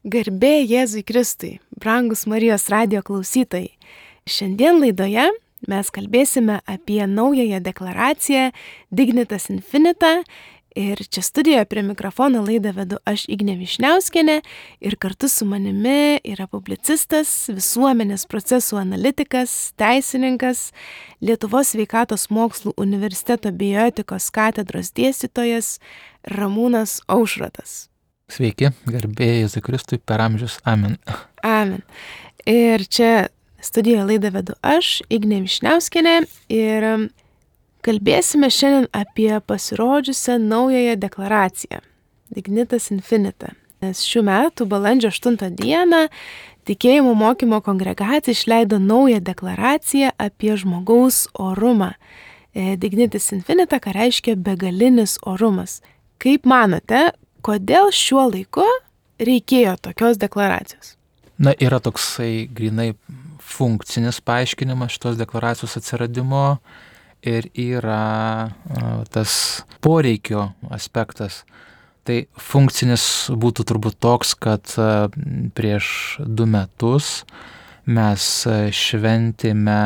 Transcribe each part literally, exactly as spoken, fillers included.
Garbė Jėzui Kristui, brangus Marijos radijo klausytojai. Šiandien laidoje mes kalbėsime apie naująją deklaraciją Dignitas Infinita ir čia studijoje prie mikrofono laidą vedu aš Ignė Višniauskienė ir kartu su manimi yra publicistas, visuomenės procesų analitikas, teisininkas, Lietuvos sveikatos mokslų universiteto bioetikos katedros dėstytojas Ramūnas Aušrotas. Sveiki, garbė Jėzui Kristui per amžius. Amen. Amen. Ir čia studijoje laidą vedu aš, Ignė Višniauskienė, ir kalbėsime šiandien apie pasirodžiusią naująją deklaraciją Dignitas Infinita. Nes šių metų balandžio aštuntą dieną Tikėjimo mokymo kongregacija išleido naują deklaraciją apie žmogaus orumą. Dignitas Infinita, ką reiškia begalinis orumas. Kaip manote, kodėl šiuo laiku reikėjo tokios deklaracijos? Na, yra toksai grinai funkcinis paaiškinimas šitos deklaracijos atsiradimo ir yra a, tas poreikio aspektas. Tai funkcinis būtų turbūt toks, kad a, prieš du metus mes šventėme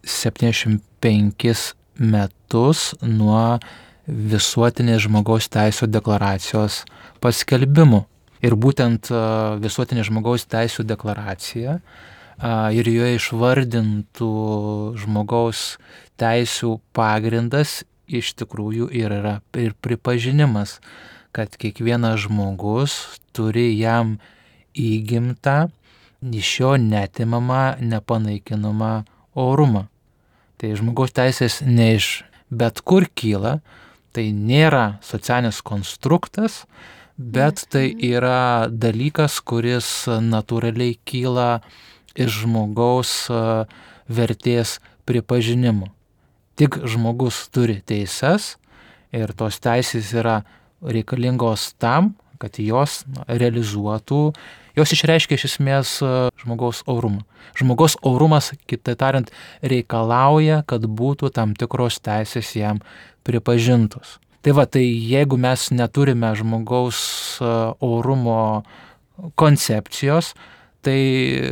septyniasdešimt penkis metus nuo visuotinės žmogaus teisių deklaracijos paskelbimų. Ir būtent visuotinės žmogaus teisių deklaracija ir joje išvardintų žmogaus teisių pagrindas iš tikrųjų yra ir pripažinimas, kad kiekvienas žmogus turi jam įgimtą, iš jo neatimamą, nepanaikinamą orumą. Tai žmogaus teisės ne iš bet kur kyla. Tai nėra socialinis konstruktas, bet tai yra dalykas, kuris natūraliai kyla iš žmogaus vertės pripažinimo. Tik žmogus turi teises ir tos teisės yra reikalingos tam, kad jos realizuotų, jos išreiškia iš esmės žmogaus orumą. Žmogaus orumas, kitaip tariant, reikalauja, kad būtų tam tikros teisės jam pripažintos. Tai va, tai jeigu mes neturime žmogaus orumo koncepcijos, tai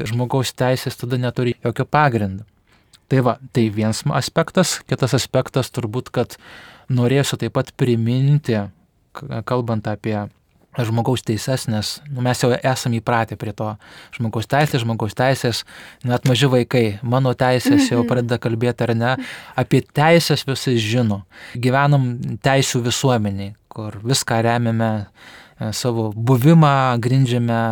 žmogaus teisės tada neturi jokio pagrindo. Tai va, tai vienas aspektas, kitas aspektas turbūt, kad norėsiu taip pat priminti, kalbant apie žmogaus teises, nes nu, mes jau esame įpratę prie to žmogaus teisės, žmogaus teisės, net maži vaikai, mano teisės jau pradeda kalbėti ar ne, apie teisės visi žino. Gyvenam teisių visuomeniai, kur viską remiame, savo buvimą grindžiame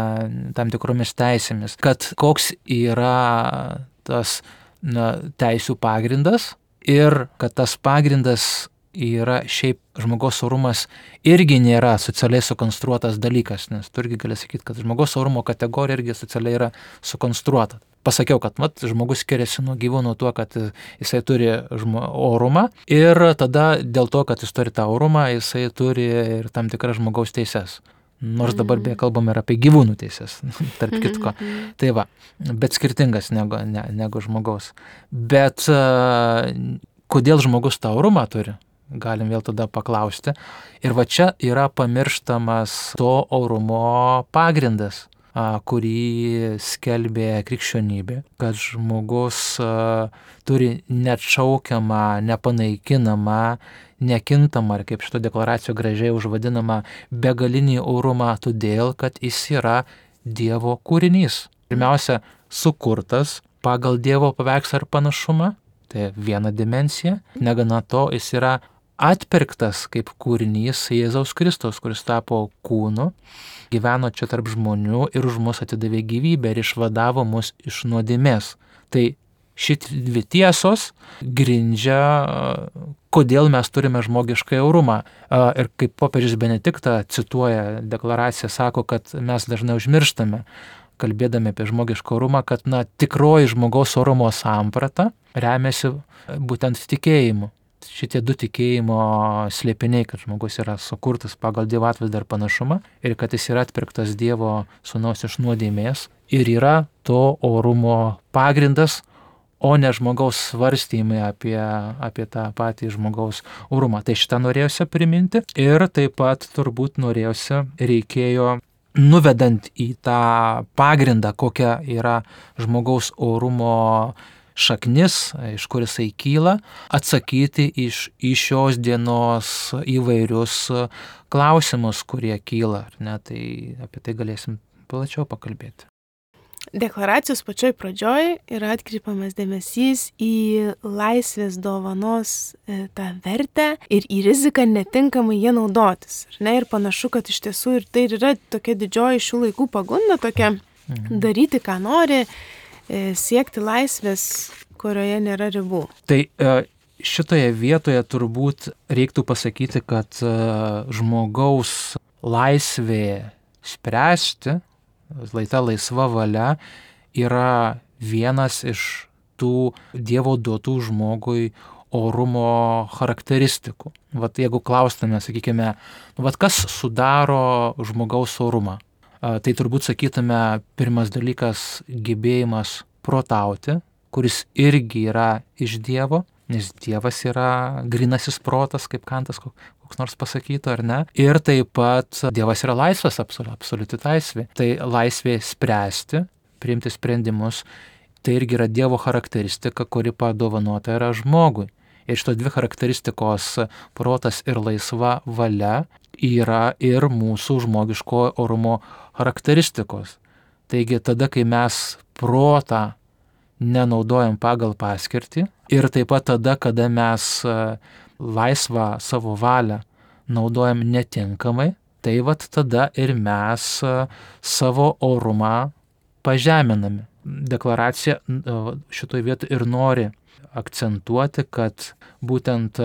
tam tikromis teisėmis, kad koks yra tas na, teisių pagrindas ir kad tas pagrindas yra šiaip žmogaus orumas irgi nėra socialiai sukonstruotas dalykas, nes tu irgi gali sakyti, kad žmogaus orumo kategorija irgi socialiai yra sukonstruota. Pasakiau, kad mat, žmogus skiriasi nuo gyvūnų tuo, kad jisai turi žmo, orumą ir tada dėl to, kad jis turi tą orumą, jisai turi ir tam tikras žmogaus teises. Nors dabar beje kalbam ir apie gyvūnų teises, tarp kitko. Tai va, bet skirtingas negu, ne, negu žmogaus. Bet uh, kodėl žmogus tą orumą turi? Galim vėl tada paklausti. Ir va čia yra pamirštamas to orumo pagrindas, kurį skelbė krikščionybė, kad žmogus turi neatšaukiamą, nepanaikinamą, nekintamą, ar kaip šito deklaracijo gražiai užvadinamą, begalinį orumą, todėl, kad jis yra Dievo kūrinys. Pirmiausia, sukurtas pagal Dievo paveikslą ir panašumą, tai viena dimensija. Negana to, jis yra atpirktas kaip kūrinys Jėzaus Kristaus, kuris tapo kūnu, gyveno čia tarp žmonių ir už mus atidavė gyvybę ir išvadavo mus iš nuodėmės. Tai šitie dvi tiesos grindžia, kodėl mes turime žmogišką orumą. Ir kaip popiežius Benediktą cituoja deklaraciją, sako, kad mes dažnai užmirštame, kalbėdami apie žmogišką orumą, kad na, tikroji žmogaus orumo samprata remiasi būtent tikėjimu. Šitie du tikėjimo slėpiniai, kad žmogus yra sukurtas pagal Dievo atvaizdą ir panašumą ir kad jis yra atpirktas Dievo sūnaus iš nuodėmės ir yra to orumo pagrindas, o ne žmogaus svarstymai apie, apie tą patį žmogaus orumą. Tai šitą norėjusi priminti ir taip pat turbūt norėjusi reikėjo nuvedant į tą pagrindą, kokia yra žmogaus orumo šaknis, iš kur jisai kyla, atsakyti iš, iš šios dienos įvairius klausimus, kurie kyla. Ne? Tai apie tai galėsim plačiau pakalbėti. Deklaracijos pačioj pradžioj yra atkreipiamas dėmesys į laisvės dovanos e, tą vertę ir į riziką netinkamai jie naudotis. Ne? Ir panašu, kad iš tiesų ir tai yra tokia didžioji šių laikų pagunda, tokia mhm. daryti, ką nori, e, siekti laisvės, kurioje nėra ribų. Tai e, šitoje vietoje turbūt reiktų pasakyti, kad e, žmogaus laisvė spręsti, ta laisva valia yra vienas iš tų Dievo duotų žmogui orumo charakteristikų. Vat jeigu klaustume, sakykime, vat kas sudaro žmogaus orumą, tai turbūt sakytume pirmas dalykas gebėjimas protauti, kuris irgi yra iš Dievo, nes Dievas yra grynasis protas, kaip Kantas koks nors pasakytų, ar ne. Ir taip pat Dievas yra laisvas, absoliuti laisvė. Tai laisvė spręsti, priimti sprendimus, tai irgi yra Dievo charakteristika, kuri padovanota yra žmogui. Ir šitos dvi charakteristikos, protas ir laisva valia, yra ir mūsų žmogiško orumo charakteristikos. Taigi tada, kai mes protą nenaudojam pagal paskirtį ir taip pat tada, kada mes laisvą savo valią naudojam netinkamai, tai vat tada ir mes savo orumą pažeminame. Deklaracija šitoje vietoje ir nori akcentuoti, kad būtent,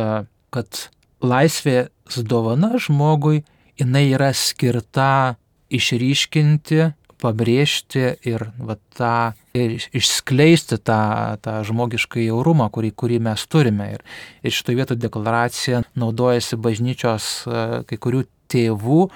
kad laisvės dovana žmogui, jinai yra skirta išryškinti, pabrėžti ir va, tą, ir išskleisti tą, tą žmogišką jaurumą, kurį, kurį mes turime. Ir, ir šitoje vietoje deklaracija naudojasi bažnyčios kai kurių tėvų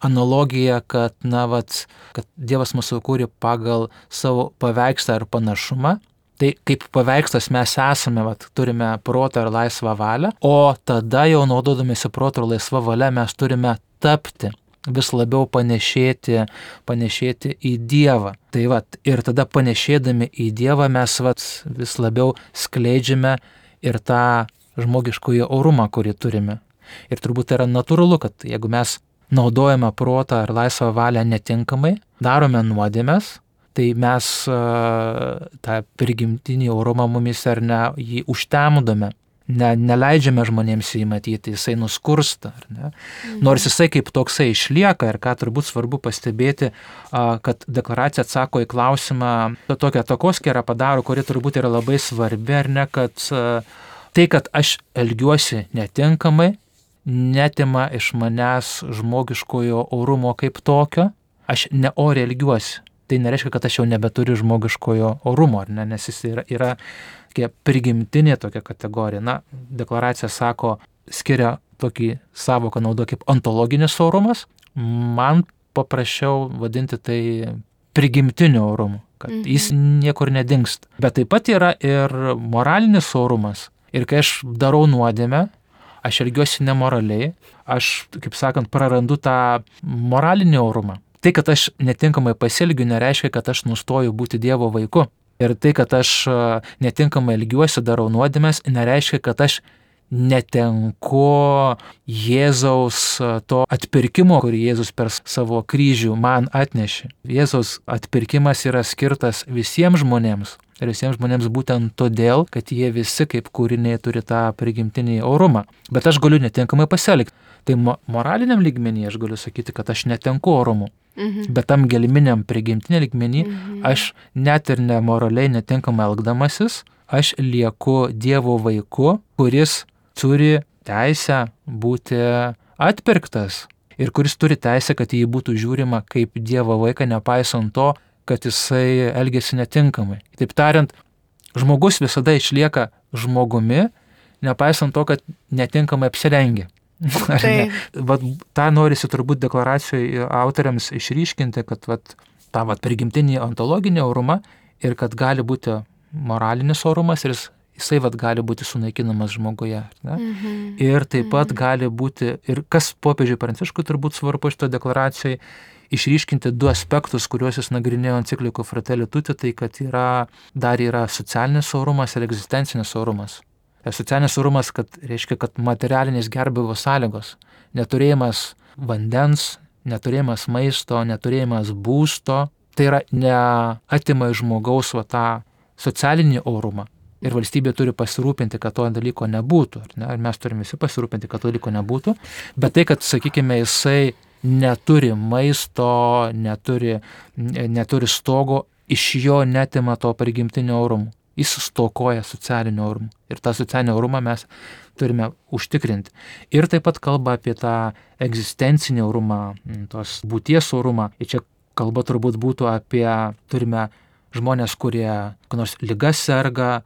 analogija, kad, na, vat, kad Dievas mūsų kūrė pagal savo paveikslą ir panašumą. Tai kaip paveikslas mes esame, vat, turime protą ir laisvą valią, o tada jau naudodamėsi protą ir laisvą valią mes turime tapti, vis labiau panešėti, panešėti į Dievą. Tai vat, ir tada panešėdami į Dievą mes vat, vis labiau skleidžiame ir tą žmogiškųjų orumą, kurį turime. Ir turbūt tai yra natūralu, kad jeigu mes naudojame protą ir laisvą valią netinkamai, darome nuodėmes, tai mes uh, tą prigimtinį orumą mumis ar ne jį užtemdome. Ne, neleidžiame žmonėms jį matyti, jisai nuskursta. Ar ne? Mhm. Nors jisai kaip toksai išlieka ir ką turbūt svarbu pastebėti, kad deklaracija atsako į klausimą, tokią takoskyrą padaro, kuri turbūt yra labai svarbi, ar ne, kad tai, kad aš elgiuosi netinkamai, netima iš manęs žmogiškojo orumo kaip tokio, aš neoriai elgiuosi. Tai nereiškia, kad aš jau nebeturiu žmogiškojo orumo, ar ne, nes jis yra, yra prigimtinė tokia kategorija. Na, deklaracija sako, skiria tokį savoką naudo kaip ontologinis orumas. Man paprasčiau vadinti tai prigimtiniu orumu, kad mhm. jis niekur nedingsta. Bet taip pat yra ir moralinis orumas. Ir kai aš darau nuodėmę, aš elgiuosi nemoraliai, aš, kaip sakant, prarandu tą moralinį orumą. Tai, kad aš netinkamai pasielgiu, nereiškia, kad aš nustoju būti Dievo vaiku. Ir tai, kad aš netinkamai elgiuosi, darau nuodėmes, nereiškia, kad aš netenku Jėzaus to atpirkimo, kurį Jėzus per savo kryžių man atnešė. Jėzaus atpirkimas yra skirtas visiems žmonėms. Ir visiems žmonėms būtent todėl, kad jie visi kaip kūriniai turi tą prigimtinį orumą. Bet aš galiu netinkamai pasielgti. Tai moraliniam lygmenį aš galiu sakyti, kad aš netenku orumu. Mhm. Bet tam gelminiam prigimtinė lygmenį mhm. aš net ir nemoraliai netinkamai elgdamasis, aš lieku Dievo vaiku, kuris turi teisę būti atpirktas ir kuris turi teisę, kad jį būtų žiūrima kaip Dievo vaiką, nepaisant to, kad jisai elgėsi netinkamai. Taip tariant, žmogus visada išlieka žmogumi, nepaisant to, kad netinkamai apsirengia. Tai. Vat, tą norisi turbūt deklaracijoje autoriams išryškinti, kad vat, tą vat, prigimtinį ontologinį orumą ir kad gali būti moralinis orumas ir jisai vat, gali būti sunaikinamas žmoguje. Mm-hmm. Ir taip pat mm-hmm. gali būti, ir kas popiežiui Pranciškui turbūt svarbu šito deklaracijoje, išryškinti du aspektus, kuriuos jis nagrinėjo enciklikoje Fratelli Tutti, tai kad yra, dar yra socialinis orumas ir egzistencinis orumas. Socialinis orumas, kad reiškia, kad materialinės gerbūvio sąlygos, neturėjimas vandens, neturėjimas maisto, neturėjimas būsto, tai yra neatima iš žmogaus va tą socialinį orumą. Ir valstybė turi pasirūpinti, kad to dalyko nebūtų. Ar ne? Ir mes turime visi pasirūpinti, kad to dalyko nebūtų. Bet tai, kad, sakykime, jisai neturi maisto, neturi, neturi stogo, iš jo netima to prigimtinio orumo. Jis stokoja socialinio orumo. Ir tą socialinį orumą mes turime užtikrinti. Ir taip pat kalba apie tą egzistencinį orumą, tos būties orumą. Ir čia kalba turbūt būtų apie, turime žmonės, kurie nors ligas serga,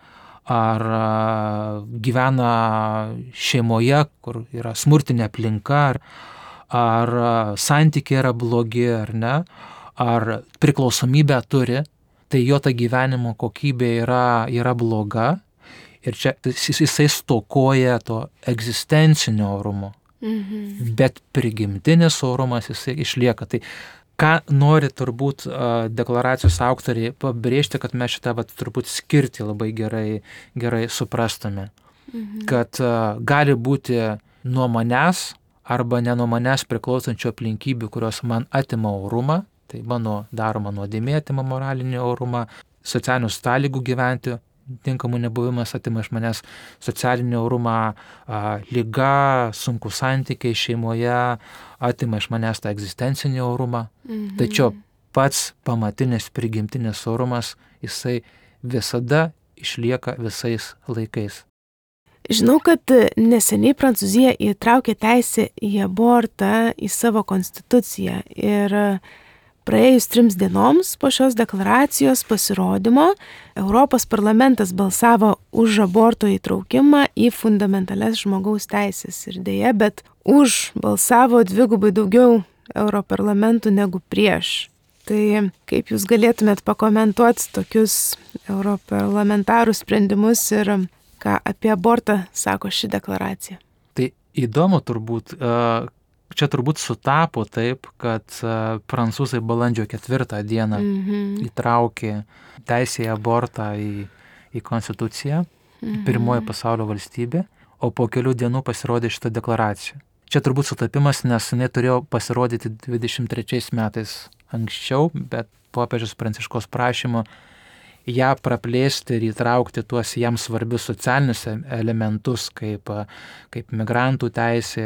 ar gyvena šeimoje, kur yra smurtinė aplinka, ar, ar santykiai yra blogi, ar ne, ar priklausomybę turi, tai jo ta gyvenimo kokybė yra, yra bloga ir čia jisai stokoja to egzistencinio orumo, mhm. bet prigimtinis orumas jisai išlieka. Tai ką nori turbūt deklaracijos autoriai pabrėžti, kad mes šitą vat, turbūt skirti labai gerai, gerai suprastume. Mhm. Kad gali būti nuo manęs arba ne nuo manęs priklausančių aplinkybių, kurios man atima orumą, tai mano daroma nuodėmė atima moralinį orumą, socialinių sąlygų gyventi, tinkamų nebuvimas atima iš manęs socialinį orumą, liga, sunku santykiai šeimoje, atima iš manęs tą egzistencinį orumą. Mhm. Tačiau pats pamatinis prigimtinis orumas, jisai visada išlieka visais laikais. Žinau, kad neseniai Prancūzija įtraukė teisę į abortą į savo konstituciją ir praėjus trims dienoms po šios deklaracijos pasirodymo Europos parlamentas balsavo už aborto įtraukimą į fundamentalias žmogaus teisės ir dėja, bet už balsavo dvigubai daugiau europarlamentų negu prieš. Tai kaip jūs galėtumėt pakomentuoti tokius europarlamentarų sprendimus ir ką apie abortą sako ši deklaracija? Tai įdomu turbūt, čia turbūt sutapo taip, kad prancūzai balandžio ketvirtą dieną mm-hmm. įtraukė teisę į abortą į, į konstituciją, mm-hmm. pirmoji pasaulio valstybė, o po kelių dienų pasirodė šitą deklaraciją. Čia turbūt sutapimas, nes jinai turėjo pasirodyti dvidešimt trečiais metais anksčiau, bet popiežius Pranciškaus prašymu ją praplėsti ir įtraukti tuos jam svarbius socialinius elementus, kaip, kaip migrantų teisė,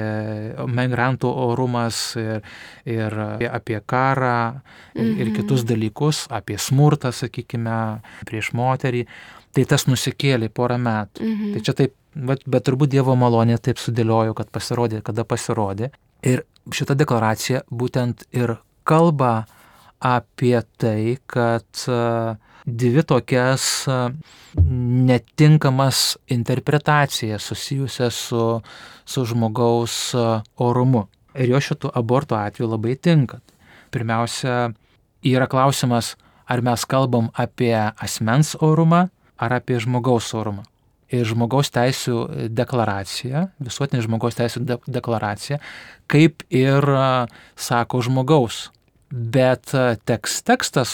migrantų orumas ir, ir apie karą ir, mhm. ir kitus dalykus, apie smurtą, sakykime, prieš moterį. Tai tas nusikėlė porą metų. Mhm. Tai čia taip, bet, bet turbūt Dievo malonė taip sudėliojo, kad pasirodė, kada pasirodė. Ir šita deklaracija būtent ir kalba apie tai, kad dvi tokias netinkamas interpretacijas susijusias su, su žmogaus orumu. Ir jo šitų aborto atveju labai tinka. Pirmiausia, yra klausimas, ar mes kalbam apie asmens orumą, ar apie žmogaus orumą. Ir žmogaus teisių deklaracija, visuotinė žmogaus teisių de- deklaracija, kaip ir sako žmogaus. Bet tekst, tekstas,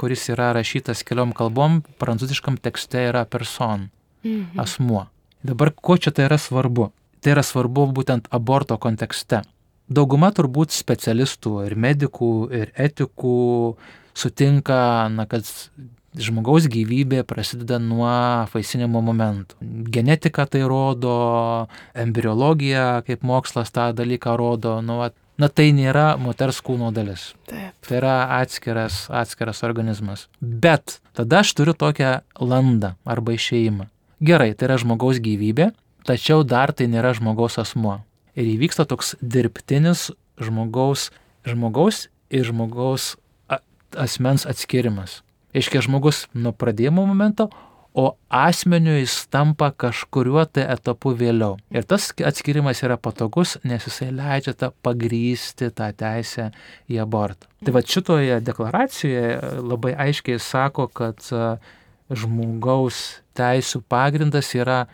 kuris yra rašytas keliom kalbom, prancūziškam tekste yra person, mhm. asmuo. Dabar, ko čia tai yra svarbu? Tai yra svarbu būtent aborto kontekste. Dauguma turbūt specialistų ir medikų ir etikų sutinka, na, kad žmogaus gyvybė prasideda nuo apvaisinimo momentų. Genetika tai rodo, embriologija kaip mokslas tą dalyką rodo, nu, na tai nėra moters kūno dalis. Taip. Tai yra atskiras, atskiras organizmas. Bet tada aš turiu tokią landą arba išėjimą. Gerai, tai yra žmogaus gyvybė, tačiau dar tai nėra žmogaus asmuo. Ir įvyksta toks dirbtinis žmogaus, žmogaus ir žmogaus asmens atskirimas. Iškia žmogus nuo pradėjimo momento, o asmeniu jis tampa kažkuriuo tai etapu vėliau. Ir tas atskirimas yra patogus, nes jisai leidžia tą pagrįsti tą teisę į abortą. Tai va šitoje deklaracijoje labai aiškiai sako, kad žmogaus teisų pagrindas yra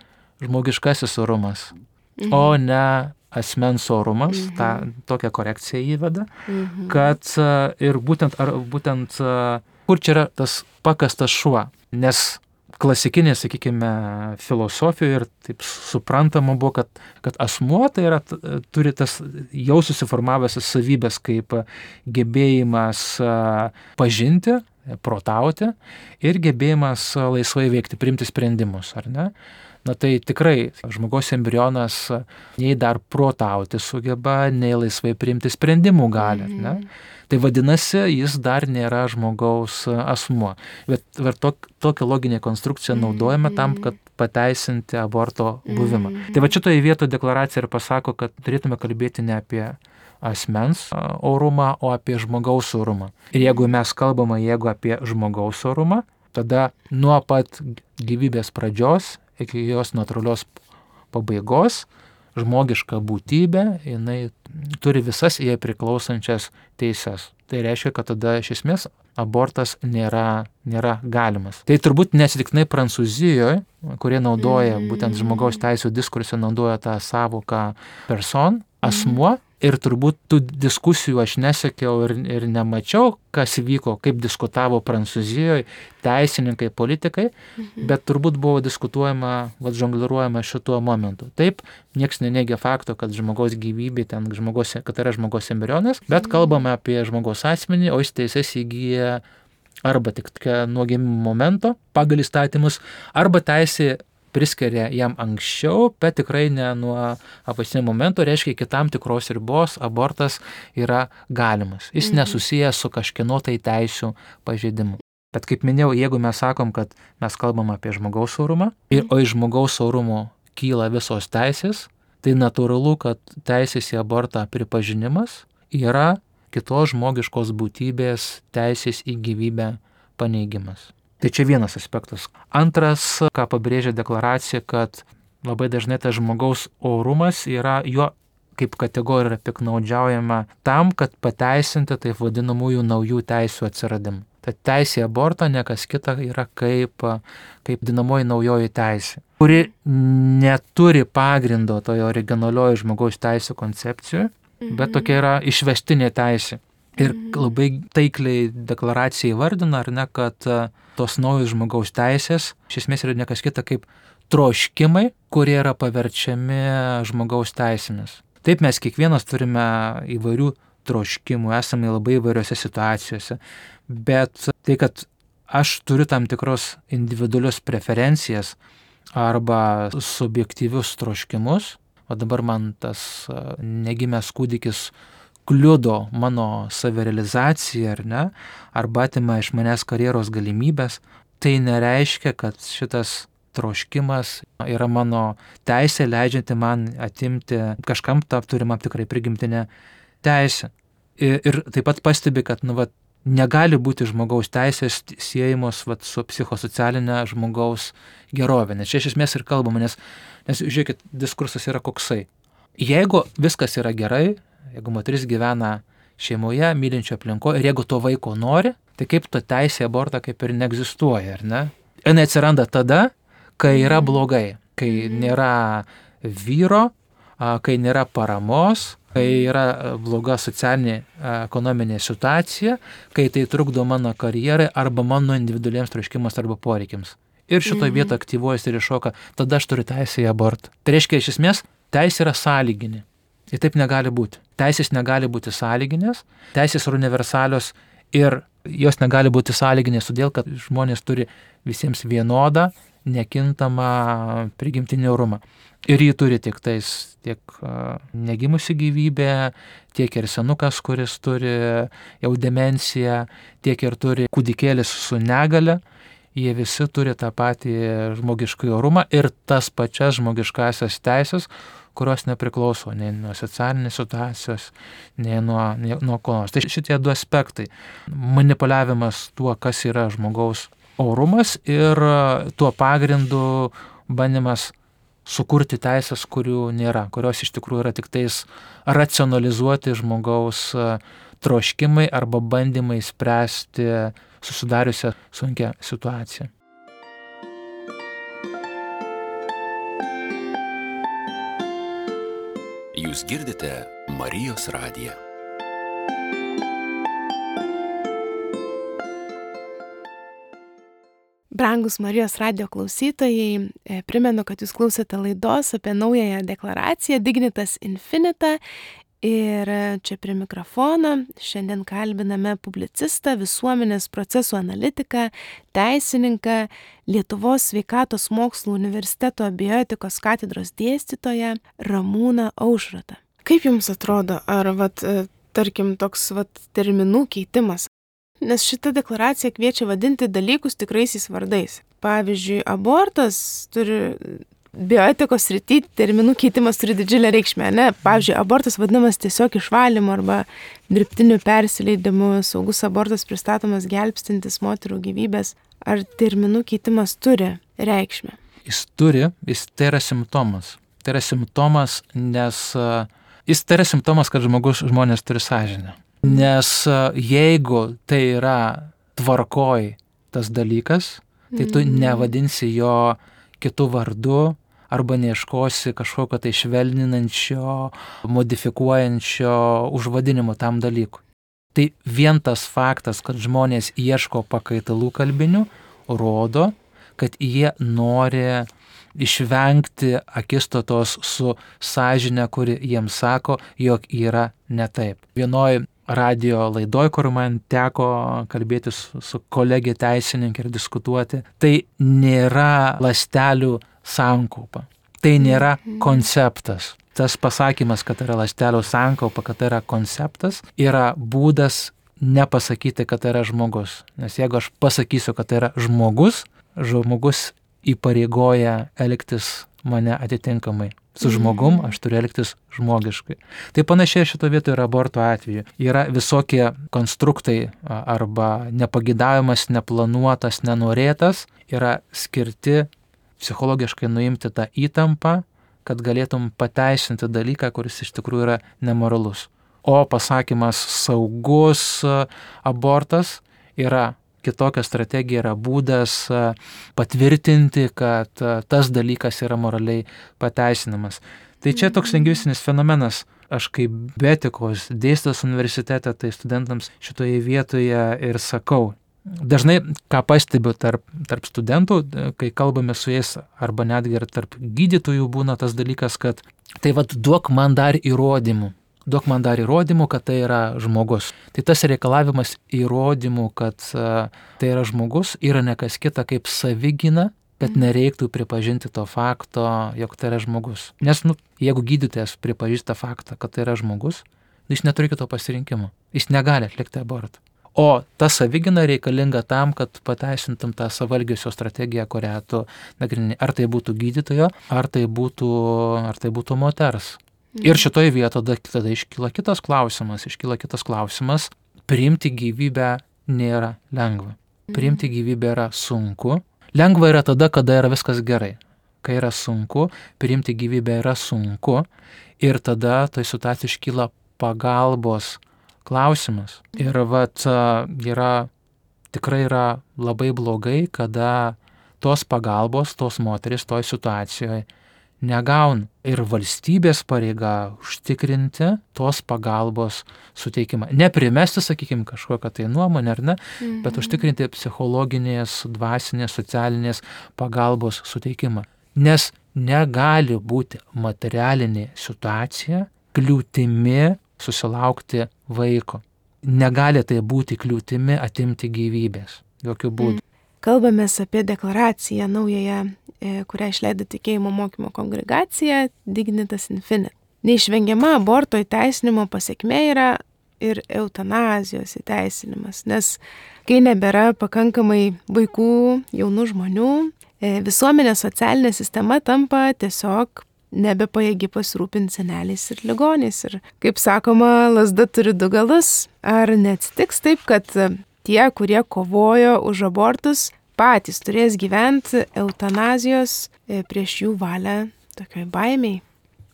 žmogiškasis orumas, mhm. o ne asmens orumas, Mhm. tą tokią korekciją įveda, Mhm. kad e, ir būtent, ar, būtent e, kur čia yra tas pakastas šuo, nes klasikinė, sakykime, filosofija ir taip suprantama buvo, kad, kad asmuo tai yra, turi tas jau susiformavęs savybės kaip gebėjimas pažinti, protauti ir gebėjimas laisvai veikti, priimti sprendimus, ar ne? Na tai tikrai žmogaus embrionas nei dar protauti sugeba, nei laisvai priimti sprendimų gali, ar ne? Tai vadinasi, jis dar nėra žmogaus asmuo. Bet tok, tokią loginę konstrukciją naudojame tam, kad pateisinti aborto buvimą. Tai va šitoje vietoje deklaracija ir pasako, kad turėtume kalbėti ne apie asmens orumą, o apie žmogaus orumą. Ir jeigu mes kalbame, jeigu apie žmogaus orumą, tada nuo pat gyvybės pradžios iki jos natūralios pabaigos žmogiška būtybė, jinai turi visas jai priklausančias teises. Tai reiškia, kad tada iš esmės abortas nėra, nėra galimas. Tai turbūt neatsitiktinai Prancūzijoje, kurie naudoja, būtent žmogaus teisų diskurse naudoja tą savoką person, asmuo, ir turbūt tų diskusijų aš nesekiau ir, ir nemačiau, kas vyko, kaip diskutavo Prancūzijoje teisininkai, politikai, mhm. bet turbūt buvo diskutuojama, vat žongliruojama šituo momentu. Taip, nieks neneigia fakto, kad žmogaus gyvybė, ten žmogaus, kad yra žmogaus embrionas, bet kalbame apie žmogaus asmenį, o jis teises įgyja arba tik nuo gimimo momento pagal įstatymus, arba teisė priskiria jam anksčiau, bet tikrai ne nuo apatinio momento, reiškia, iki tam tikros ribos abortas yra galimas. Jis mhm. nesusijęs su kažkieno tai teisių pažeidimu. Bet kaip minėjau, jeigu mes sakom, kad mes kalbam apie žmogaus orumą, ir, o iš žmogaus orumo kyla visos teisės, tai natūralu, kad teisės į abortą pripažinimas yra kitos žmogiškos būtybės teisės į gyvybę paneigimas. Tai čia vienas aspektas. Antras, ką pabrėžia deklaracija, kad labai dažnai tas žmogaus orumas yra, jo kaip kategorija yra piknaudžiaujama tam, kad pateisinti taip vadinamųjų naujų teisių atsiradimą. Tad teisė į abortą ne kas kita yra kaip, kaip dinamoji naujoji teisė, kuri neturi pagrindo toje originalioje žmogaus teisų koncepcijoje, bet tokia yra išvestinė teisė. Ir labai taikliai deklaracija įvardina, ar ne, kad tos naujos žmogaus teisės iš esmės yra ne kas kita kaip troškimai, kurie yra paverčiami žmogaus teisėmis. Taip, mes kiekvienas turime įvairių troškimų, esame labai įvairiose situacijose, bet tai, kad aš turiu tam tikros individualius preferencijas arba subjektyvius troškimus, o dabar man tas negimęs kūdikis kliudo mano savirealizaciją, ar ne, arba atima iš manęs karjeros galimybės, tai nereiškia, kad šitas troškimas yra mano teisė, leidžianti man atimti kažkam tą turimą tikrai prigimtinę teisę. Ir, ir taip pat pastebi, kad nu, vat, negali būti žmogaus teisės siejamos vat, su psichosocialinė žmogaus gerovė. Nes čia iš esmės ir kalbama, nes, nes žiūrėkit, diskursas yra koksai. Jeigu viskas yra gerai, jeigu moteris gyvena šeimoje, mylinčio aplinkoje, ir jeigu to vaiko nori, tai kaip to teisė abortą kaip ir neegzistuoja, ar ne? Ir neatsiranda tada, kai yra blogai, kai nėra vyro, kai nėra paramos, kai yra bloga socialinė ekonominė situacija, kai tai trukdo mano karjerai arba mano individualiems troškimams arba poreikiams. Ir šitoje mhm. vietoje aktyvuojasi ir iššoka, tada aš turiu teisę į abortą. Tai reiškia, iš esmės, teisė yra sąlyginė. Ir taip negali būti. Teisės negali būti sąlyginės, teisės yra universalios ir jos negali būti sąlyginės, todėl kad žmonės turi visiems vienodą, nekintamą prigimtinį orumą. Ir jį turi tiek tais, tiek uh, negimusi gyvybė, tiek ir senukas, kuris turi jau demenciją, tiek ir turi kūdikėlis su negale. Jie visi turi tą patį žmogiškąjį orumą ir tas pačias žmogiškasias teisės, kurios nepriklauso nei nuo socialinės situacijos, nei nuo, nei nuo ko nors. Tai šitie du aspektai. Manipuliavimas tuo, kas yra žmogaus orumas ir tuo pagrindu bandymas sukurti teisės, kurių nėra, kurios iš tikrųjų yra tik tais racionalizuoti žmogaus troškimai arba bandymai spręsti susidariusią sunkią situaciją. Jūs girdite Marijos radiją. Brangus Marijos radijo klausytojai, primenu, kad jūs klausėte laidos apie naująją deklaraciją Dignitas Infinita. Ir čia prie mikrofono šiandien kalbiname publicistą, visuomenės procesų analitiką, teisininką, Lietuvos sveikatos mokslų universiteto bioetikos katedros dėstytoją Ramūną Aušrotą. Kaip jums atrodo, ar vat, tarkim toks vat, terminų keitimas? Nes šita deklaracija kviečia vadinti dalykus tikraisiais vardais. Pavyzdžiui, abortas turi... Bioetikos srity terminų keitimas turi didžiulę reikšmę, ne? Pavyzdžiui, abortas vadinamas tiesiog išvalymu arba dirbtiniu persileidimu, saugus abortas pristatomas gelbstintis moterų gyvybės. Ar terminų keitimas turi reikšmę? Jis turi, jis tai yra simptomas. Tai yra simptomas, nes jis tai yra simptomas, kad žmogus, žmonės turi sąžinę. Nes jeigu tai yra tvarkoj tas dalykas, tai tu nevadinsi jo kitų vardų, arba neieškosi kažkokio tai švelninančio, modifikuojančio užvadinimo tam dalykui. Tai vien tas faktas, kad žmonės ieško pakaitalų kalbinių, rodo, kad jie nori išvengti akistatos su sąžine, kuri jiems sako, jog yra ne taip. Vienoj radio laidoj, kur man teko kalbėti su, su kolegė teisininkė ir diskutuoti, tai nėra ląstelių sankaupa. Tai nėra konceptas. Tas pasakymas, kad yra ląstelių sankaupa, kad tai yra konceptas, yra būdas nepasakyti, kad tai yra žmogus. Nes jeigu aš pasakysiu, kad tai yra žmogus, žmogus įpareigoja elgtis mane atitinkamai. Su žmogum aš turiu elgtis žmogiškai. Tai panašiai šito vietoje yra aborto atveju. Yra visokie konstruktai arba nepagidavimas, neplanuotas, nenorėtas, yra skirti psichologiškai nuimti tą įtampą, kad galėtum pateisinti dalyką, kuris iš tikrųjų yra nemoralus. O pasakymas saugus abortas yra kitokia strategija, yra būdas patvirtinti, kad tas dalykas yra moraliai pateisinamas. Tai čia toks lingvistinis fenomenas. Aš kaip bioetikos dėstytojas universitete, tai studentams šitoje vietoje ir sakau. Dažnai, ką pastebiu tarp, tarp studentų, kai kalbame su jais, arba netgi ir tarp gydytojų būna tas dalykas, kad tai vad duok man dar įrodymų. Duok man dar įrodymų, kad tai yra žmogus. Tai tas reikalavimas įrodymų, kad uh, tai yra žmogus, yra ne kas kita kaip savigyna, kad nereiktų pripažinti to fakto, jog tai yra žmogus. Nes, nu, jeigu gydytojas pripažįsta faktą, kad tai yra žmogus, jis neturi kito pasirinkimo. Jis negali atlikti abortą. O ta savigyna reikalinga tam, kad pateisintum tą savalgiusio strategiją, kurią tu nagrinėji. Ar tai būtų gydytojo, ar tai būtų, ar tai būtų moters. Ir šitoje vietoje tada iškyla kitas klausimas, iškyla kitas klausimas, priimti gyvybę nėra lengva. Priimti gyvybę yra sunku. Lengva yra tada, kada yra viskas gerai. Kai yra sunku, priimti gyvybę yra sunku ir tada toj situacijai iškyla pagalbos klausimas. Ir vat yra, tikrai yra labai blogai, kada tos pagalbos, tos moteris toj situacijoje negauna. Ir valstybės pareiga užtikrinti tos pagalbos suteikimą. Neprimesti, sakykime, kažkokią tai nuomonę, ar ne, mhm. bet užtikrinti psichologinės, dvasinės, socialinės pagalbos suteikimą. Nes negali būti materialinė situacija kliūtimi susilaukti vaiko. Negali tai būti kliūtimi atimti gyvybės. Jokių būdų. Kalbamės apie deklaraciją naująją, kurią išleido Tikėjimo mokymo kongregacija Dignitas Infinita. Neišvengiama aborto įteisinimo pasekmė yra ir eutanazijos įteisinimas, nes kai nebėra pakankamai vaikų, jaunų žmonių, visuomenės socialinė sistema tampa tiesiog nebepajėgi pasirūpinti seneliais ir ligoniais. Ir kaip sakoma, lazda turi du galus. Ar neatsitiks taip, kad tie, kurie kovojo už abortus, patys turės gyventi eutanazijos prieš jų valią tokioj baimiai?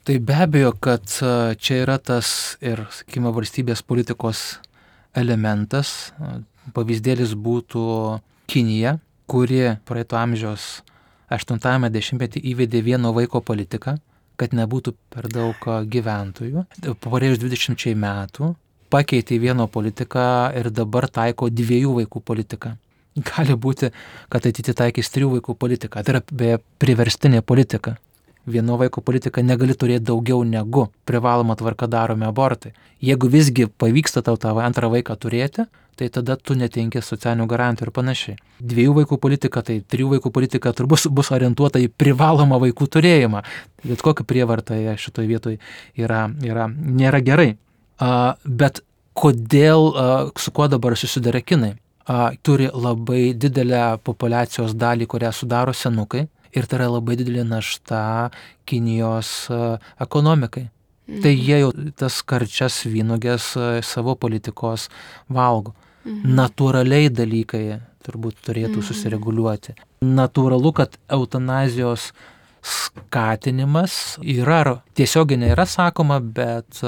Tai be abejo, kad čia yra tas ir, sakykime, valstybės politikos elementas. Pavyzdėlis būtų Kinija, kuri praeito amžiaus aštuntajame dešimtmetyje įvedė vieno vaiko politiką, kad nebūtų per daug gyventojų. Praėjus dvidešimčiai metų pakeitė vieno politiką ir dabar taiko dviejų vaikų politiką. Gali būti, kad ateity taikys trijų vaikų politiką. Tai yra beje priverstinė politika. Vieno vaiko politika negali turėti daugiau negu privaloma tvarka daromi abortai. Jeigu visgi pavyksta tau tą antrą vaiką turėti, tai tada tu netenki socialinių garantijų ir panašiai. Dviejų vaikų politika, tai trijų vaikų politika turbūt bus orientuota į privalomą vaikų turėjimą. Bet kokia prievarta šitoje vietoje yra, yra, nėra gerai. A, bet kodėl, a, su kuo dabar susiduria kinai? A, turi labai didelę populiacijos dalį, kurią sudaro senukai. Ir tai yra labai didelė našta Kinijos ekonomikai. Mhm. Tai jie jau tas karčias vynuogės savo politikos valgo. Mhm. Natūraliai dalykai turbūt turėtų mhm. susireguliuoti. Natūralu, kad eutanazijos skatinimas yra, tiesiogiai nėra sakoma, bet,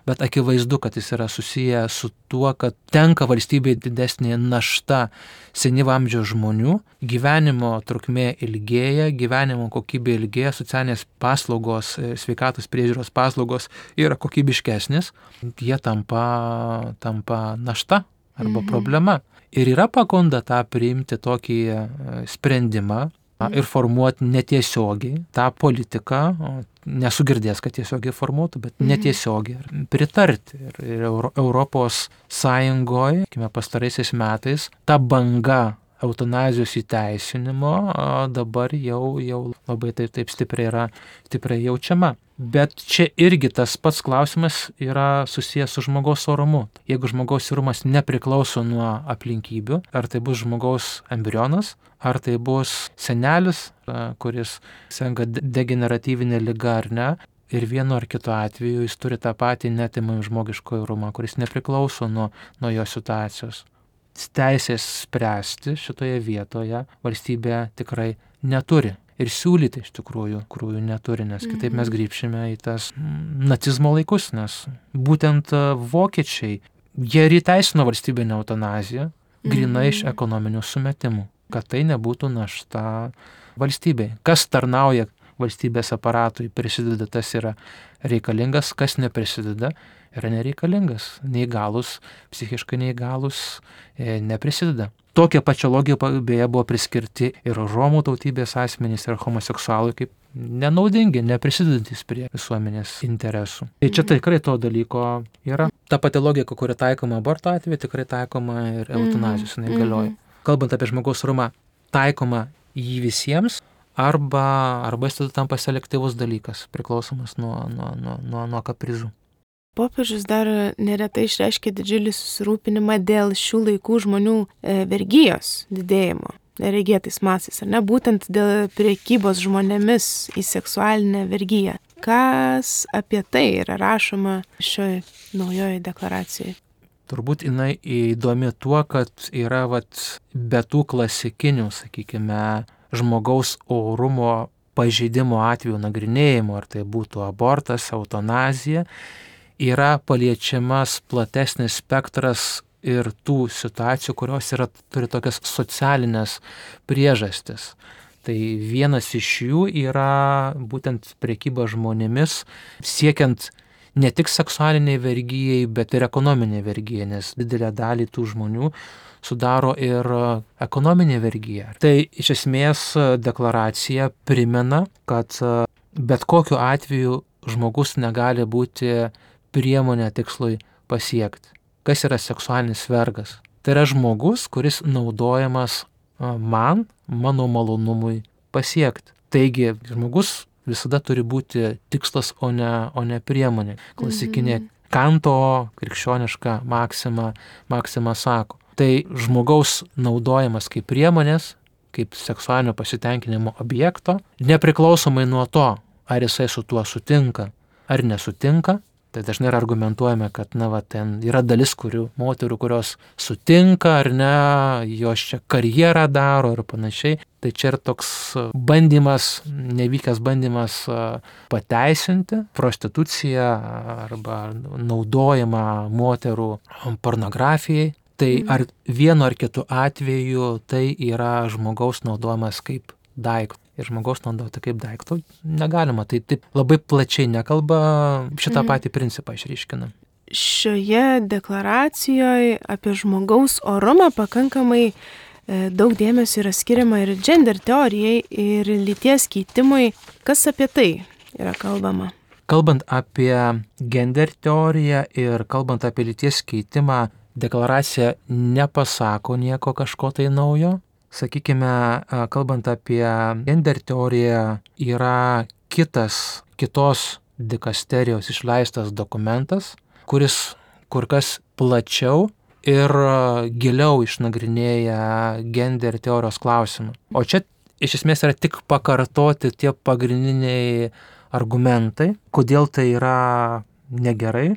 bet akivaizdu, kad jis yra susiję su tuo, kad tenka valstybei didesnė našta senyvo amžiaus žmonių, gyvenimo trukmė ilgėja, gyvenimo kokybė ilgėja, socialinės paslaugos, sveikatos priežiūros paslaugos yra kokybiškesnės, jie tampa, tampa našta arba mhm. problema. Ir yra pagunda tą priimti tokį sprendimą, ir formuoti netiesiogiai tą politiką, nesu girdėjęs, kad tiesiogiai formuotų, bet mhm. netiesiogiai pritarti. Ir, ir Euro, Europos Sąjungoje, kime pastaraisiais metais, ta banga eutanazijos įteisinimo dabar jau, jau labai taip, taip stipriai yra stipriai jaučiama. Bet čia irgi tas pats klausimas yra susijęs su žmogaus orumu. Jeigu žmogaus orumas nepriklauso nuo aplinkybių, ar tai bus žmogaus embrionas, ar tai bus senelis, kuris serga degeneratyvinė liga ar ne, ir vienu ar kitu atveju jis turi tą patį neatimamą žmogišką orumą, kuris nepriklauso nuo, nuo jo situacijos. Teisės spręsti šitoje vietoje valstybė tikrai neturi. Ir siūlyti iš tikrųjų, tikrųjų neturi, nes kitaip mes grįžime į tas nacizmo laikus, nes būtent vokiečiai, jie ir įteisino valstybinę eutanaziją, grinai iš ekonominių sumetimų, kad tai nebūtų našta valstybei. Kas tarnauja valstybės aparatui, prisideda, tas yra reikalingas, kas neprisideda, yra nereikalingas. Neįgalus, psichiškai neįgalus e, neprisideda. Tokia pačia logika beje buvo priskirti ir romų tautybės asmenys, ir homoseksualai kaip nenaudingi, neprisidedantis prie visuomenės interesų. Tai čia tikrai to dalyko yra. Ta pati logika, kuri taikoma aborto atveju, tikrai taikoma ir eutanazijos, jinai galioja. Kalbant apie žmogaus orumą, taikoma jį visiems, arba, arba jis tada tampa selektyvus dalykas, priklausomas nuo, nuo, nuo, nuo, nuo kaprizų. Popiežius dar neretai išreiškia didžiulį susirūpinimą dėl šių laikų žmonių vergijos didėjimo, neregėtais masės, ar ne, būtent dėl prekybos žmonėmis į seksualinę vergiją. Kas apie tai yra rašoma šioje naujoje deklaracijoje? Turbūt jinai įdomi tuo, kad yra vat, be tų klasikinių, sakykime, žmogaus orumo pažeidimo atveju nagrinėjimo, ar tai būtų abortas, eutanazija, yra paliečiamas platesnis spektras ir tų situacijų, kurios yra, turi tokias socialinės priežastis. Tai vienas iš jų yra būtent prekyba žmonėmis, siekiant ne tik seksualiniai vergijai, bet ir ekonominiai vergijai, nes didelę dalį tų žmonių sudaro ir ekonominė vergija. Tai iš esmės deklaracija primena, kad bet kokiu atveju žmogus negali būti priemonė tikslui pasiekti. Kas yra seksualinis vergas? Tai yra žmogus, kuris naudojamas man, mano malonumui pasiekti. Taigi žmogus visada turi būti tikslas, o ne, o ne priemonė. Klasikinė mm-hmm. Kanto krikščioniška maksima, maksima sako. Tai žmogaus naudojamas kaip priemonės, kaip seksualinio pasitenkinimo objekto, nepriklausomai nuo to, ar jisai su tuo sutinka ar nesutinka. Tai dažnai yra argumentuojame, kad na, va, ten yra dalis kurių, moterų, kurios sutinka ar ne, jos čia karjerą daro ir panašiai. Tai čia yra toks bandymas, nevykęs bandymas pateisinti prostituciją arba naudojimą moterų pornografijai. Tai ar vienu ar kitu atveju tai yra žmogaus naudojimas kaip daiktų. ir žmogaus naudoti kaip daikto negalima. Tai taip labai plačiai nekalba, šitą mhm. patį principą išryškina. Šioje deklaracijoje apie žmogaus orumą pakankamai daug dėmesio yra skiriama ir gender teorijai, ir lyties keitimui. Kas apie tai yra kalbama? Kalbant apie gender teoriją ir kalbant apie lyties keitimą, deklaracija nepasako nieko kažko tai naujo. Sakykime, kalbant apie gender teoriją, yra kitas, kitos dikasterijos išleistas dokumentas, kuris kur kas plačiau ir giliau išnagrinėja gender teorijos klausimą. O čia iš esmės yra tik pakartoti tie pagrindiniai argumentai, kodėl tai yra negerai.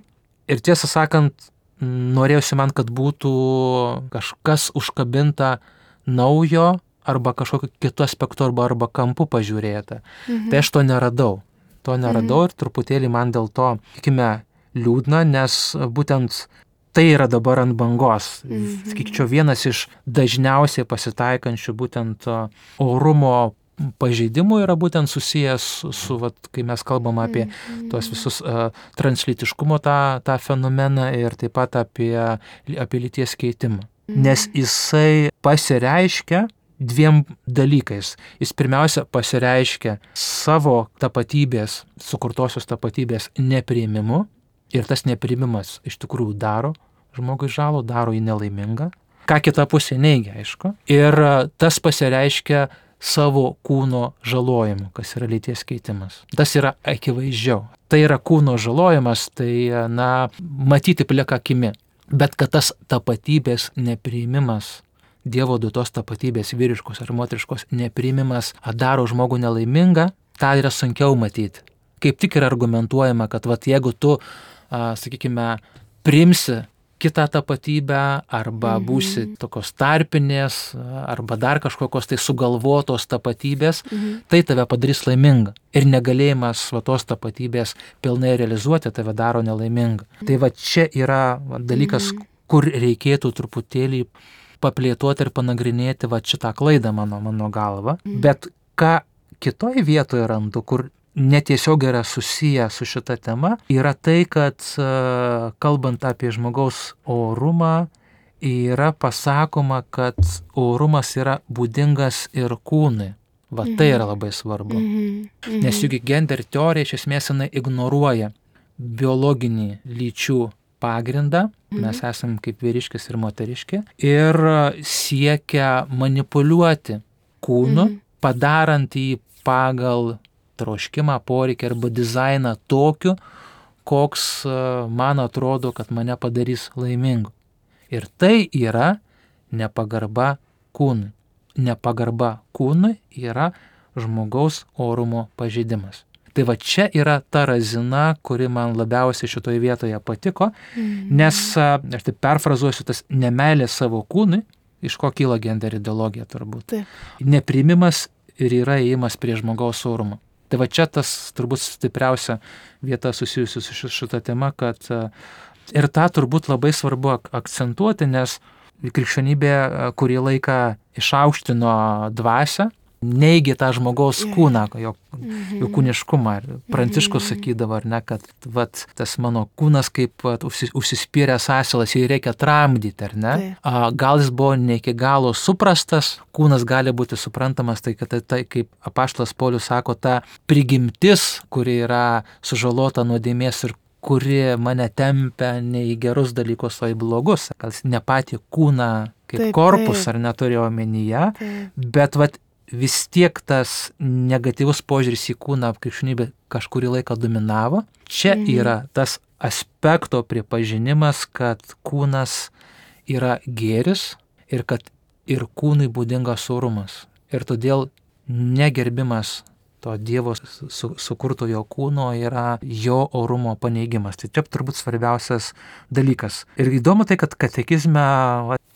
Ir tiesą sakant, norėjusi man, kad būtų kažkas užkabinta naujo arba kažkokiu kitu aspektu arba, arba kampu pažiūrėta. Mhm. Tai aš to neradau. To neradau mhm. ir truputėlį man dėl to, tikime, liūdna, nes būtent tai yra dabar ant bangos. Mhm. Sakyčiau, vienas iš dažniausiai pasitaikančių būtent orumo pažeidimų yra būtent susijęs su, su vat, kai mes kalbam apie mm-hmm. tuos visus uh, translytiškumo tą, tą fenomeną ir taip pat apie, apie lyties keitimą. Mm-hmm. Nes jisai pasireiškia dviem dalykais. Jis pirmiausia pasireiškia savo tapatybės, sukurtosios tapatybės nepriėmimu ir tas nepriėmimas iš tikrųjų daro žmogui žalą, daro jį nelaimingą. Ką kita pusė neigia, aišku. Ir tas pasireiškia savo kūno žalojimu, kas yra lyties keitimas. Tas yra akivaizdžiau. Tai yra kūno žalojimas, tai, na, matyti plika akimi. Bet kad tas tapatybės nepriėmimas, Dievo duotos tapatybės vyriškos ar moteriškos nepriėmimas daro žmogų nelaimingą, tą yra sunkiau matyti. Kaip tik yra argumentuojama, kad vat, jeigu tu, a, sakykime, priimsi kitą tapatybę arba būsi mm-hmm. tokios tarpinės arba dar kažkokios tai sugalvotos tapatybės, mm-hmm. tai tave padarys laimingą. Ir negalėjimas va, tos tapatybės pilnai realizuoti tave daro nelaimingą. Mm-hmm. Tai va čia yra va, dalykas, mm-hmm. kur reikėtų truputėlį paplėtoti ir panagrinėti va, šitą klaidą mano, mano galva. Mm-hmm. Bet ką kitoje vietoje randu, kur netiesiog yra susiję su šita tema, yra tai, kad kalbant apie žmogaus orumą, yra pasakoma, kad orumas yra būdingas ir kūnui. Va mhm. tai yra labai svarbu. Mhm. Mhm. Nes juk gender teorija iš esmės jinai ignoruoja biologinį lyčių pagrindą, mhm. mes esam kaip vyriškis ir moteriški, ir siekia manipuliuoti kūnu, mhm. padarant jį pagal troškimą, poreikį arba dizainą tokiu, koks man atrodo, kad mane padarys laimingu. Ir tai yra nepagarba kūnui. Nepagarba kūnui yra žmogaus orumo pažeidimas. Tai va čia yra ta razina, kuri man labiausiai šitoje vietoje patiko, mm-hmm. nes, aš taip perfrazuosiu, tas nemeilė savo kūnui, iš ko kyla gender ideologija turbūt. Taip. Nepriimimas ir yra įėjimas prie žmogaus orumo. Tai va čia tas turbūt stipriausia vieta susijusi su šita tema, kad ir tą turbūt labai svarbu akcentuoti, nes krikščionybė kurį laiką išaukštino dvasią, neigė tą žmogaus kūną, jo, mm-hmm. jo kūniškumą. Pranciškus sakydavo, ar ne, kad vat, tas mano kūnas kaip vat, užsispyręs asilas, jį reikia tramdyti, ar ne? A, gal jis buvo ne iki galo suprastas, kūnas gali būti suprantamas, tai kad tai, tai kaip apaštalas Paulius sako, ta prigimtis, kuri yra sužalota nuodėmės ir kuri mane tempia ne į gerus dalykus, o į blogus. Gal ne patį kūną kaip taip, korpus, taip. Ar neturėjo omenyje, taip. Bet vat, vis tiek tas negatyvus požiūris į kūną krikščionybė kažkurį laiką dominavo. Čia mhm. yra tas aspekto pripažinimas, kad kūnas yra gėris ir kad ir kūnui būdingas orumas. Ir todėl negerbimas to Dievo su, sukurtojo kūno yra jo orumo paneigimas. Tai čia turbūt svarbiausias dalykas. Ir įdomu tai, kad katekizme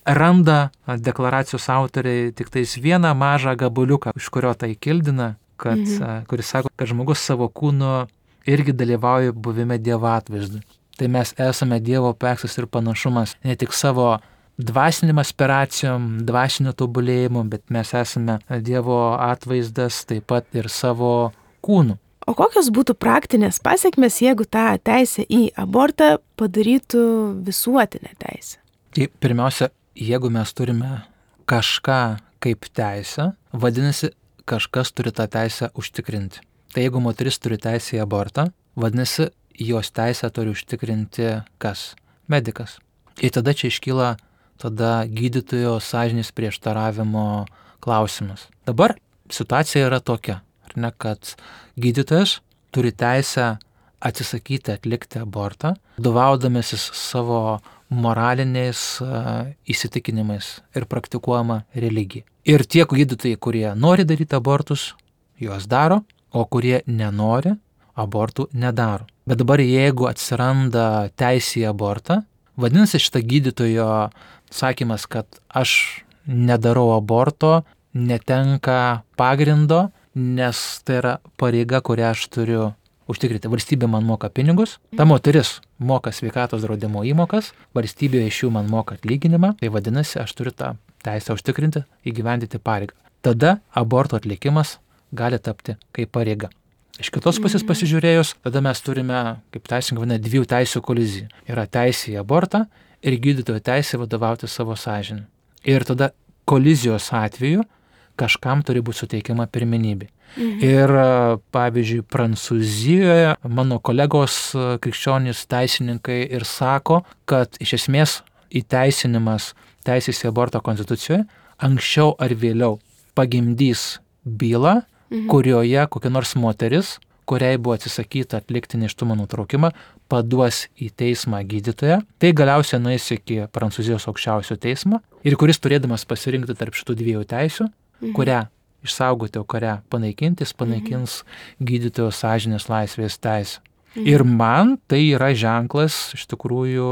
randa deklaracijos autoriai tik tais vieną mažą gabaliuką, iš kurio tai kildina, kad, mhm. kuris sako, kad žmogus savo kūnu irgi dalyvauja buvime Dievo atvaizdu. Tai mes esame Dievo paveikslas ir panašumas ne tik savo dvasinėm aspiracijom, dvasiniu tobulėjimu, bet mes esame Dievo atvaizdas taip pat ir savo kūnu. O kokios būtų praktinės pasiekmes, jeigu tą teisę į abortą padarytų visuotinę teisę? Tai pirmiausia, jeigu mes turime kažką kaip teisę, vadinasi, kažkas turi tą teisę užtikrinti. Tai jeigu moteris turi teisę į abortą, vadinasi, jos teisę turi užtikrinti kas? Medikas. Ir tada čia iškyla tada gydytojo sąžinės prieštaravimo klausimas. Dabar situacija yra tokia, ar ne, kad gydytojas turi teisę atsisakyti atlikti abortą, vadovaudamasis savo moraliniais uh, įsitikinimais ir praktikuojama religija. Ir tie gydytojai, kurie nori daryti abortus, juos daro, o kurie nenori, abortų nedaro. Bet dabar jeigu atsiranda teisė į abortą, vadinasi šitą gydytojo sakymas, kad aš nedarau aborto, netenka pagrindo, nes tai yra pareiga, kurią aš turiu užtikrinti. Valstybė man moka pinigus, ta moteris moka sveikatos draudimo įmokas, valstybė iš jų man moka atlyginimą, tai vadinasi, aš turiu tą teisę užtikrinti, įgyvendyti pareigą. Tada aborto atlikimas gali tapti kaip pareiga. Iš kitos pusės pasižiūrėjus, tada mes turime, kaip teisininkai vadina, dviejų teisių koliziją. Yra teisė į abortą ir gydytojo teisė vadovauti savo sąžinę. Ir tada kolizijos atveju kažkam turi būti suteikiama pirmenybė. Mhm. Ir pavyzdžiui, Prancūzijoje mano kolegos krikščionys teisininkai ir sako, kad iš esmės įteisinimas teisės į abortą konstitucijoje anksčiau ar vėliau pagimdys bylą, mhm. kurioje kokia nors moteris, kuriai buvo atsisakyta atlikti nėštumo nutraukimą, paduos į teismą gydytoją. Tai galiausiai nueis iki Prancūzijos aukščiausio teismo ir kuris turėdamas pasirinkti tarp šitų dviejų teisių, mhm. kurią išsaugoti, o kurią panaikinti, jis panaikins mhm. gydytojo sąžinės laisvės teisę. Mhm. Ir man tai yra ženklas iš tikrųjų,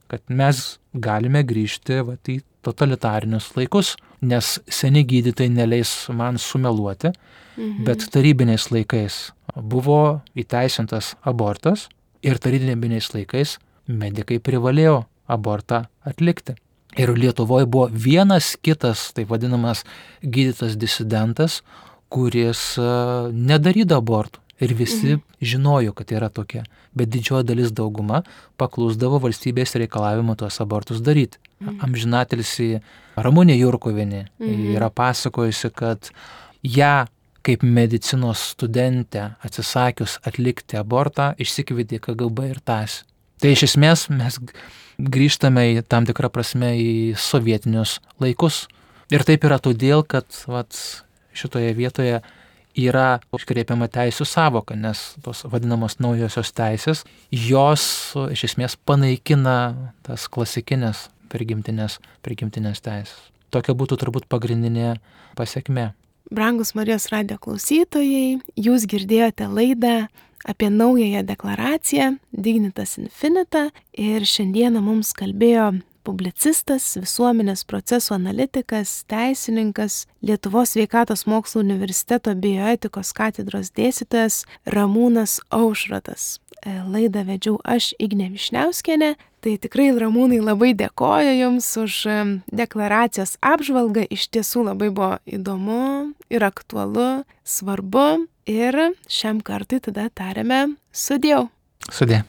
kad mes galime grįžti vat, į totalitarinius laikus, nes seni gydytojai neleis man sumeluoti, mhm. bet tarybiniais laikais buvo įteisintas abortas ir tarybiniais laikais medikai privalėjo abortą atlikti. Ir Lietuvoje buvo vienas kitas, taip vadinamas, gydytas disidentas, kuris uh, nedarydavo abortų. Ir visi mhm. žinojo, kad yra tokia. Bet didžioji dalis dauguma paklusdavo valstybės reikalavimą tuos abortus daryti. Mhm. Amžinatilsį Ramunė Jurkuvienė mhm. yra pasakojusi, kad ją kaip medicinos studentę atsisakius atlikti abortą išsikvietė K G B ir tąsi. Tai iš esmės mes grįžtame į tam tikrą prasme į sovietinius laikus. Ir taip yra todėl, kad vat, šitoje vietoje yra iškreipiama teisų savoka, nes tos vadinamos naujosios teisės, jos iš esmės panaikina tas klasikinės prigimtinės, prigimtinės teisės. Tokia būtų turbūt pagrindinė pasekmė. Brangus Marijos radijo klausytojai, jūs girdėjote laidą apie naująją deklaraciją Dignitas Infinita ir šiandieną mums kalbėjo publicistas, visuomenės procesų analitikas, teisininkas, Lietuvos sveikatos mokslų universiteto bioetikos katedros dėstytojas Ramūnas Aušrotas. Laidą vedžiau aš, Ignė Višniauskienė. Tai tikrai, Ramūnai, labai dėkoju Jums už deklaracijos apžvalgą. Iš tiesų labai buvo įdomu ir aktualu, svarbu. Ir šiam kartui tada tariame sudie. Sudie.